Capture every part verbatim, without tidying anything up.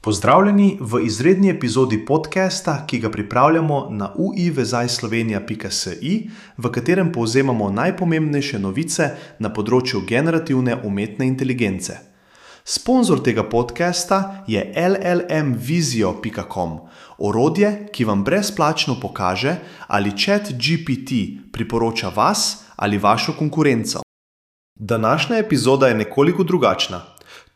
Pozdravljeni v izredni epizodi podcasta, ki ga pripravljamo na u i vezaj slovenija pika si, v katerem povzemamo najpomembnejše novice na področju generativne umetne inteligence. Sponzor tega podcasta je el el em vizio pika com, orodje, ki vam brezplačno pokaže, ali ChatGPT priporoča vas ali vašo konkurenco. Današnja epizoda je nekoliko drugačna.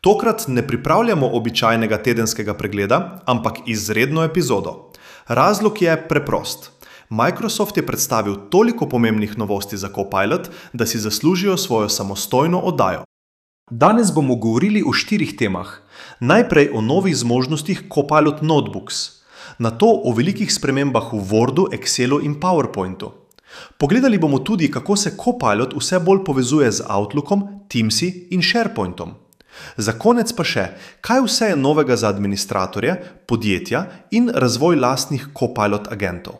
Tokrat ne pripravljamo običajnega tedenskega pregleda, ampak izredno epizodo. Razlog je preprost. Microsoft je predstavil toliko pomembnih novosti za Copilot, da si zaslužijo svojo samostojno oddajo. Danes bomo govorili o štirih temah. Najprej o novih zmožnostih Copilot Notebooks, nato o velikih spremembah v Wordu, Excelu in PowerPointu. Pogledali bomo tudi, kako se Copilot vse bolj povezuje z Outlookom, Teamsi in SharePointom. Za konec pa še, kaj vse je novega za administratorje, podjetja in razvoj lastnih Copilot agentov.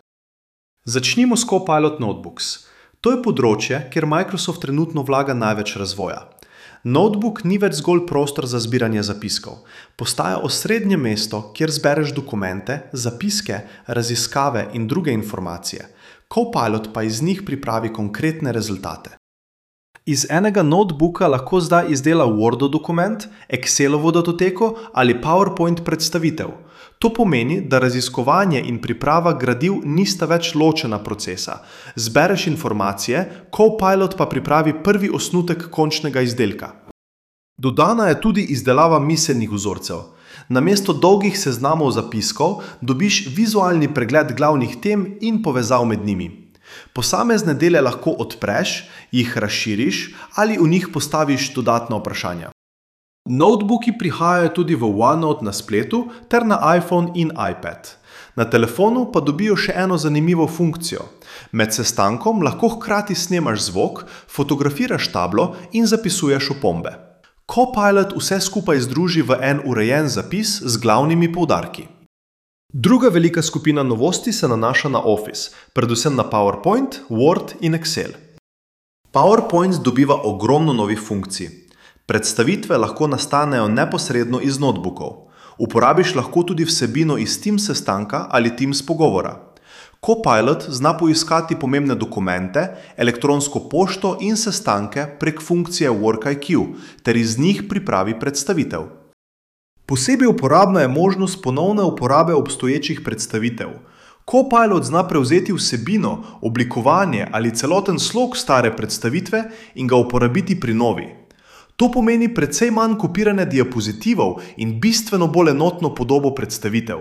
Začnimo s Copilot Notebooks. To je področje, kjer Microsoft trenutno vlaga največ razvoja. Notebook ni več zgolj prostor za zbiranje zapiskov. Postaja osrednje mesto, kjer zbereš dokumente, zapiske, raziskave in druge informacije. Copilot pa iz njih pripravi konkretne rezultate. Iz enega notebooka lahko zdaj izdela Word dokument, Excelovo datoteko ali PowerPoint predstavitev. To pomeni, da raziskovanje in priprava gradiv nista več ločena procesa. Zbereš informacije, Copilot pa pripravi prvi osnutek končnega izdelka. Dodana je tudi izdelava miselnih vzorcev. Namesto dolgih seznamov zapiskov dobiš vizualni pregled glavnih tem in povezav med njimi. Posamezne dele lahko odpreš, jih razširiš ali v njih postaviš dodatna vprašanja. Notebooki prihajajo tudi v OneNote na spletu ter na iPhone in iPad. Na telefonu pa dobijo še eno zanimivo funkcijo. Med sestankom lahko hkrati snemaš zvok, fotografiraš tablo in zapisuješ opombe. Copilot vse skupaj združi v en urejen zapis z glavnimi poudarki. Druga velika skupina novosti se nanaša na Office, predvsem na PowerPoint, Word in Excel. PowerPoint dobiva ogromno novih funkcij. Predstavitve lahko nastanejo neposredno iz notebookov. Uporabiš lahko tudi vsebino iz Teams sestanka ali Teams pogovora. Copilot zna poiskati pomembne dokumente, elektronsko pošto in sestanke prek funkcije WorkIQ, ter iz njih pripravi predstavitev. Posebej uporabna je možnost ponovne uporabe obstoječih predstavitev. Copilot zna prevzeti vsebino, oblikovanje ali celoten slog stare predstavitve in ga uporabiti pri novi. To pomeni precej manj kopiranja diapozitivov in bistveno bolj enotno podobo predstavitev.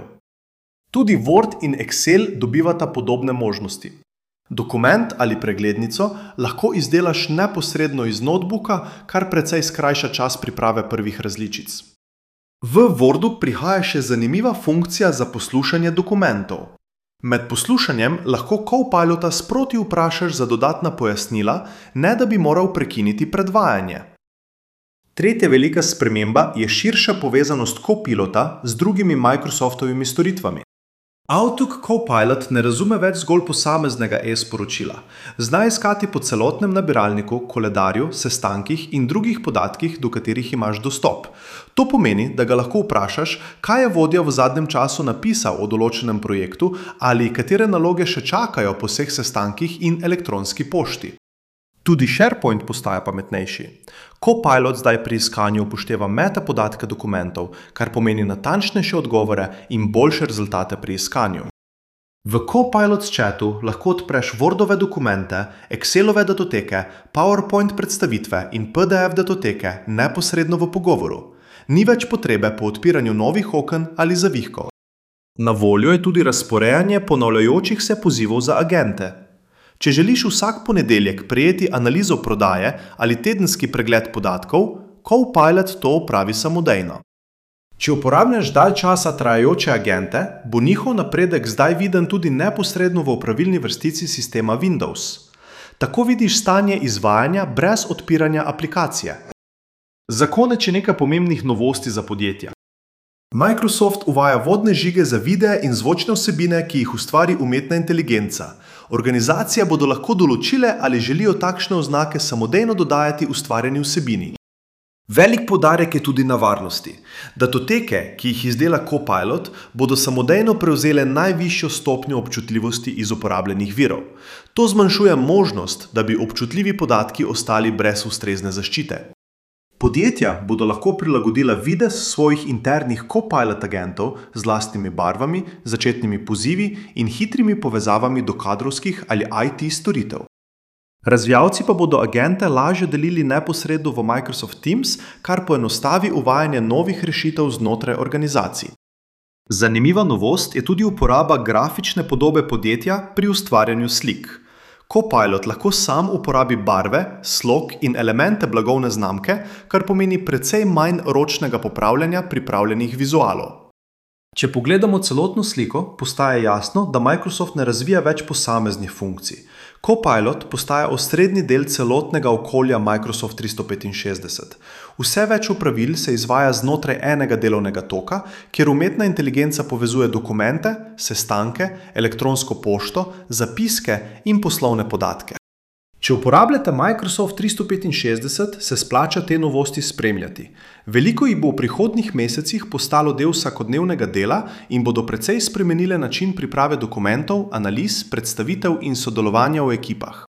Tudi Word in Excel dobivata podobne možnosti. Dokument ali preglednico lahko izdelaš neposredno iz notebooka, kar precej skrajša čas priprave prvih različic. V Wordu prihaja še zanimiva funkcija za poslušanje dokumentov. Med poslušanjem lahko Copilota sproti vprašaš za dodatna pojasnila, ne da bi moral prekiniti predvajanje. Tretja velika sprememba je širša povezanost Copilota z drugimi Microsoftovimi storitvami. Outlook Copilot ne razume več zgolj posameznega e-sporočila. Zna iskati po celotnem nabiralniku, koledarju, sestankih in drugih podatkih, do katerih imaš dostop. To pomeni, da ga lahko vprašaš, kaj je vodja v zadnjem času napisal o določenem projektu ali katere naloge še čakajo po vseh sestankih in elektronski pošti. Tudi SharePoint postaja pametnejši. Copilot zdaj pri iskanju upošteva metapodatke dokumentov, kar pomeni natančnejše odgovore in boljše rezultate pri iskanju. V Copilot chatu lahko odpreš Wordove dokumente, Excelove datoteke, PowerPoint predstavitve in P D F datoteke neposredno v pogovoru. Ni več potrebe po odpiranju novih oken ali zavihkov. Na voljo je tudi razporejanje ponavljajočih se pozivov za agente. Če želiš vsak ponedeljek prejeti analizo prodaje ali tedenski pregled podatkov, Copilot to opravi samodejno. Če uporabljaš dalj časa trajajoče agente, bo njihov napredek zdaj viden tudi neposredno v opravilni vrstici sistema Windows. Tako vidiš stanje izvajanja brez odpiranja aplikacije. Za konec je nekaj pomembnih novosti za podjetja. Microsoft uvaja vodne žige za videe in zvočne vsebine, ki jih ustvari umetna inteligenca. Organizacije bodo lahko določile, ali želijo takšne oznake samodejno dodajati ustvarjeni vsebini. Velik poudarek je tudi na varnosti. Datoteke, ki jih izdela Copilot, bodo samodejno prevzele najvišjo stopnjo občutljivosti iz uporabljenih virov. To zmanjšuje možnost, da bi občutljivi podatki ostali brez ustrezne zaščite. Podjetja bodo lahko prilagodila videz svojih internih Copilot agentov z lastnimi barvami, začetnimi pozivi in hitrimi povezavami do kadrovskih ali I T storitev. Razvijalci pa bodo agente lažje delili neposredno v Microsoft Teams, kar poenostavi uvajanje novih rešitev znotraj organizacij. Zanimiva novost je tudi uporaba grafične podobe podjetja pri ustvarjanju slik. Copilot lahko sam uporabi barve, slog in elemente blagovne znamke, kar pomeni precej manj ročnega popravljanja pripravljenih vizualov. Če pogledamo celotno sliko, postaja jasno, da Microsoft ne razvija več posameznih funkcij. Copilot postaja osrednji del celotnega okolja Microsoft tristo petinšestdeset. Vse več opravil se izvaja znotraj enega delovnega toka, kjer umetna inteligenca povezuje dokumente, sestanke, elektronsko pošto, zapiske in poslovne podatke. Če uporabljate Microsoft tristo petinšestdeset, se splača te novosti spremljati. Veliko jih bo v prihodnjih mesecih postalo del vsakodnevnega dela in bodo precej spremenile način priprave dokumentov, analiz, predstavitev in sodelovanja v ekipah.